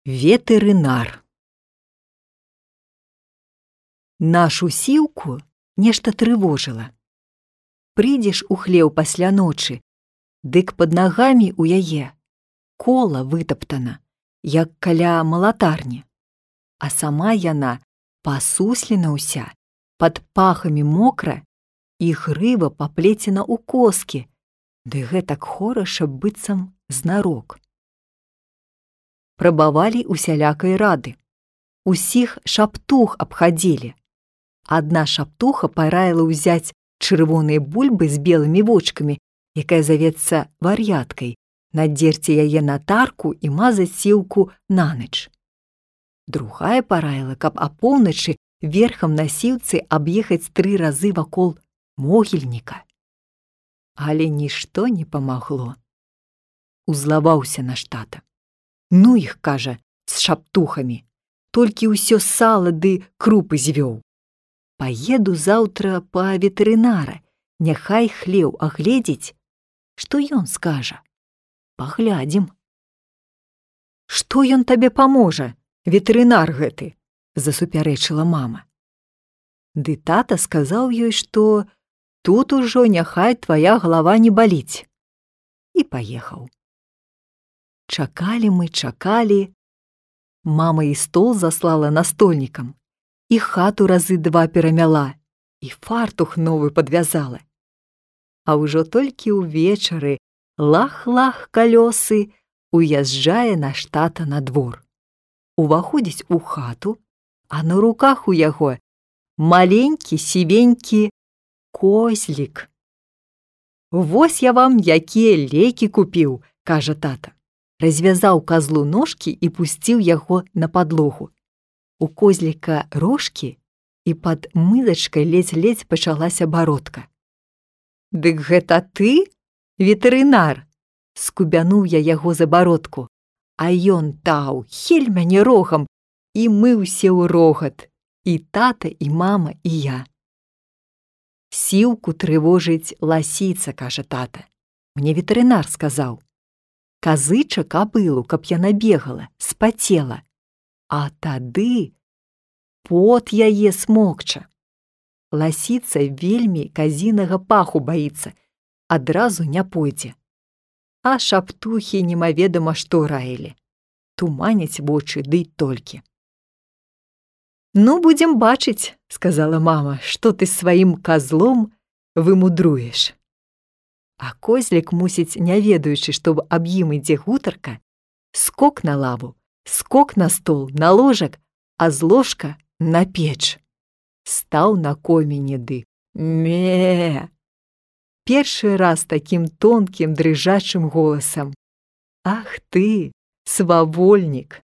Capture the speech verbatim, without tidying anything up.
Ветэрынар. Нашу сіўку нешта трывожыла. Прыйдзеш у хлеў пасля ночы, дык пад нагамі ў яе кола вытаптана, як каля малатарні, а сама яна пасуслена ўся, пад пахамі мокра, і грыва паплецена ў коскі, ды гэтак хораша быццам знарок. Прабавалі усялякай рады. Усіх шаптух абхадзілі. Адна шаптуха параіла ўзяць чырвоныя бульбы з белымі вочкамі, якая завецца вар'яткай, надзерці яе на тарку і мазаць сіўку нанач. Другая параіла, каб апоўначы верхам на сіўцы аб'ехаць тры разы вакол могільніка. Але нішто не памагло. Узлаваўся наш тата. Ну іх, кажа, з шаптухамі, толькі ўсё сала ды крупы звёў. Паеду заўтра па ветэрынара, няхай хлеў агледзець, што ён скажа. Паглядзім. Што ён табе паможа, ветэрынар гэты? Засупярэчыла мама. Ды тата сказаў ёй, што тут ужо няхай твая галава не баліць. І паехаў. Чакалі мы, чакалі. Мама і стол заслала настольнікам, і хату разы два перамяла, і фартух новы падвязала. А ўжо толькі ўвечары лах-лах калёсы уязджае наш тата на двор. Уваходзіць у хату, а на руках у яго маленькі сівенькі козлік. «Вось я вам якія лекі купіў», – кажа тата. Развязаў казлу ножкі і пусціў яго на падлогу. У козліка рожкі, і пад мызачкай ледзь-ледзь пачалася бародка. «Дык гэта ты, ветэрынар?» – скубянуў я яго за бародку. А ён таў, хель мяне рогам, і мы ўсе ў рогат, і тата, і мама, і я. «Сіўку трывожыць ласіца», – кажа тата. Мне ветэрынар сказаў. Казыча кабылу, каб яна бегала, спацела. А тады пот яе смокча. Ласіца вельмі казінага паху баіцца, адразу не пойдзе. А шаптухі немаведама што раілі. Туманяць вочы, ды толькі. «Ну, будзем бачыць», – сказала мама, – «што ты сваім казлом вымудруеш». А козлік, мусіць, не ведаючы, што аб ім ідзе гутарка, скок на лаву, скок на стол, на ложак, а з ложка на печ. Стаў на коміне ды ме. Першы раз такім тонкім дрыжачым голасам. «Ах ты, свавольнік!»